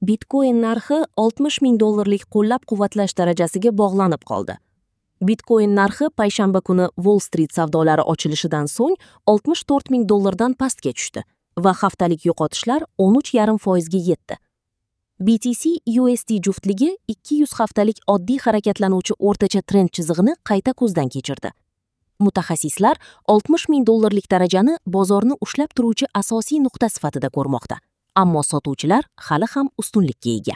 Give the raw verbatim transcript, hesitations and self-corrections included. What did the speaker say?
Bitcoin narxi oltmish ming dollarlik qo'llab-quvvatlash darajasiga bog'lanib qoldi. Bitcoin narxi payshanba kuni Wall Street savdolari ochilishidan so'ng oltmish to'rt ming dollardan pastga tushdi va haftalik yo'qotishlar o'n uch yarim foizga yetdi. B T C U S D juftligi ikki yuz haftalik oddiy harakatlanuvchi o'rtacha trend chizig'ini qayta ko'zdan kechirdi. Mutaxassislar oltmish ming dollarlik darajani bozorni ushlab turuvchi asosiy nuqta sifatida ko'rmoqda. Ammo sotuvchilar hali ham ustunlikka ega.